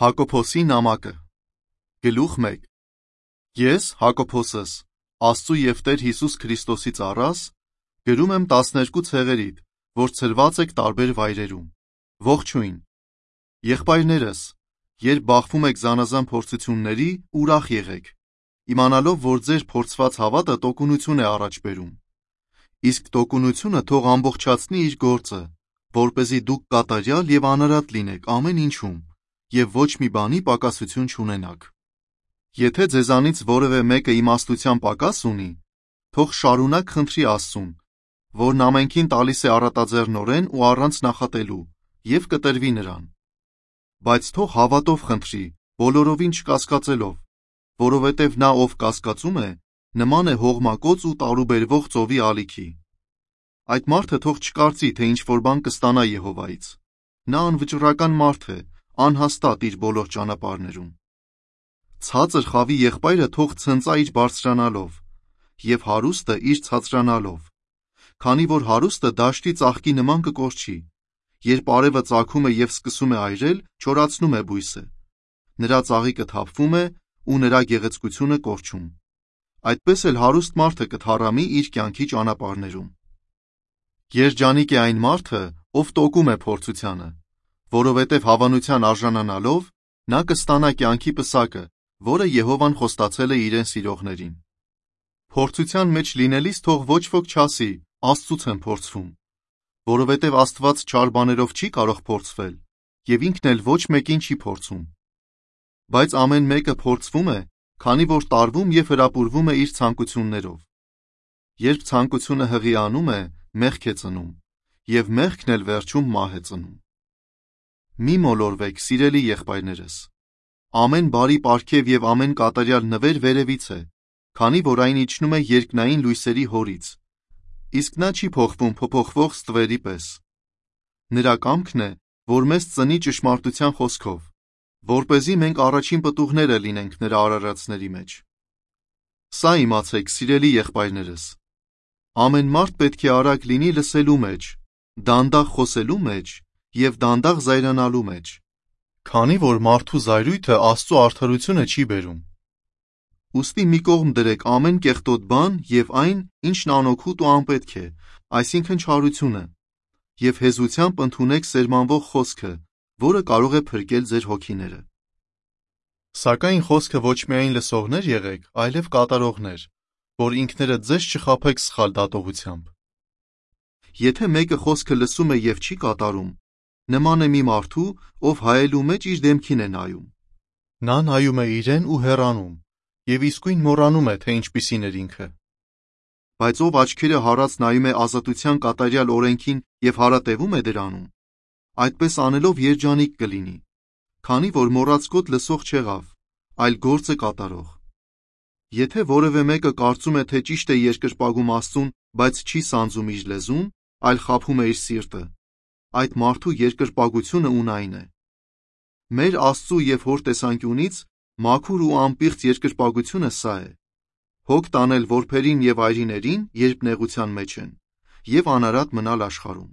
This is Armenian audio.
Հակոբոսի նամակը Գլուխ 1 Ես, Հակոբոսս, Աստծու և Տեր Հիսուս Քրիստոսի ծառաս, գրում եմ 12 ցեղերիդ, որ ցրված եք տարբեր վայրերում։ Ողջույն։ Եղբայրներս, երբ բախվում եք զանազան փորձությունների, ուրախ եղեք, իմանալով, որ ձեր փորձված հավատը տոկունություն է առաջ բերում։ Իսկ տոկունությունը թող ամբողջացնի իր գործը, որպեսզի դուք կատարյալ և անարատ լինեք ամեն ինչում, և ոչ մի բանի պակասություն չունենաք։ Եթե ձեզանից որևէ մեկը իմաստության պակաս ունի, թող շարունակ խնդրի Աստծուն, որն ամենքին տալիս է առատաձեռնորեն ու առանց նախատելու, և կտրվի նրան։ Բայց թող հավատով խնդրի, բոլորովին չկասկածելով, որովհետև նա, ով կասկածում է, նման է հողմակոծ ու տարուբերվող ծովի ալիքի։ Այդ մարդը թող չկարծի, թե ինչ-որ բան կստանա Եհովայից։ Նա անվճռական մարդ է, անհաստատ իր բոլոր ճանապարհներում։ Ցածր խավի եղբայրը թող ցնծա իր բարձրանալով, և հարուստը իր ցածրանալով, քանի որ հարուստը դաշտի ծաղկի նման կկորչի, երբ արևը ծագում է և սկսում է այրել, չորացնում է բույսը, նրա ծաղիկը թափվում է ու նրա գեղեցկությունը կորչում։ Այդպես էլ հարուստ մարդը կթառամի իր կյանքի ճանապարհներում։ Երջանիկ է այն մարդը, ով տոկում է փորձությանը, որովհետև հավանության արժանանալով նա կստանա կյանքի պսակը, որը Եհովան խոստացել է իրեն սիրողներին։ Փորձության մեջ լինելիս թող ոչ ոք չասի. Աստծուց եմ փորձվում, որովհետև Աստված չար բաներով չի կարող փորձվել, և ինքն էլ ոչ մեկին չի փորձում։ Բայց ամեն մեկը փորձվում է, քանի որ տարվում և հրապուրվում է իր ցանկություններով։ Երբ ցանկությունը հղիանում է, մեղք է ծնում, և մեղքն էլ վերջում մահ է ծնում։ Մի մոլորվեք, սիրելի եղբայրներս։ Ամեն բարի պարգև և ամեն կատարյալ նվեր վերևից է, քանի որ այն իջնում է երկնային լույսերի Հորից, իսկ նա չի փոխվում փոփոխվող ստվերի պես։ Նրա կամքն է, որ մեզ ծնի ճշմարտության խոսքով, որպեսզի մենք առաջին պտուղները լինենք նրա արարածների մեջ։ Սա իմացեք, սիրելի եղբայրներս. ամեն մարդ պետք է արագ լինի լսելու մեջ, դանդաղ խոսելու մեջ և դանդաղ զայրանալու մեջ, քանի որ մարդու զայրույթը Աստծու արդարությունը չի բերում։ Ուստի մի կողմ դրեք ամեն կեղտոտ բան և այն, ինչն անօգուտ ու անպետք է, այսինքն չարությունը, և հեզությամբ ընդունեք սերմանվող խոսքը, որը կարող է փրկել ձեր հոգիները։ Սակայն խոսքը ոչ միայն լսողներ եղեք, այլև կատարողներ, որ ինքներդ ձեզ չխաբեք սխալ դատողությամբ։ Եթե մեկը խոսքը լսում է և չի կատարում, նման է մի մարդու, ով հայելու մեջ իր դեմքին է նայում։ Նա նայում է իրեն ու հեռանում, և իսկույն մոռանում է, թե ինչպիսին էր ինքը։ Բայց ով աչքերը հառած նայում է ազատության կատարյալ օրենքին և հարատևում է դրանում, այդպես անելով երջանիկ կլինի, քանի որ մոռացկոտ լսող չեղավ, այլ գործ է կատարող։ Եթե որևէ մեկը կարծում է, թե ճիշտ է երկրպագում Աստծուն, բայց չի սանձում իր լեզուն, այլ խաբում է իր սիրտը, այդ մարդու երկրպագությունը ունայն է։ Մեր Աստծու և Հոր տեսանկյունից մաքուր ու անպիղծ երկրպագությունը սա է. հոգ տանել որբերին և այրիներին, երբ նեղության մեջ են, և անարատ մնալ աշխարհում։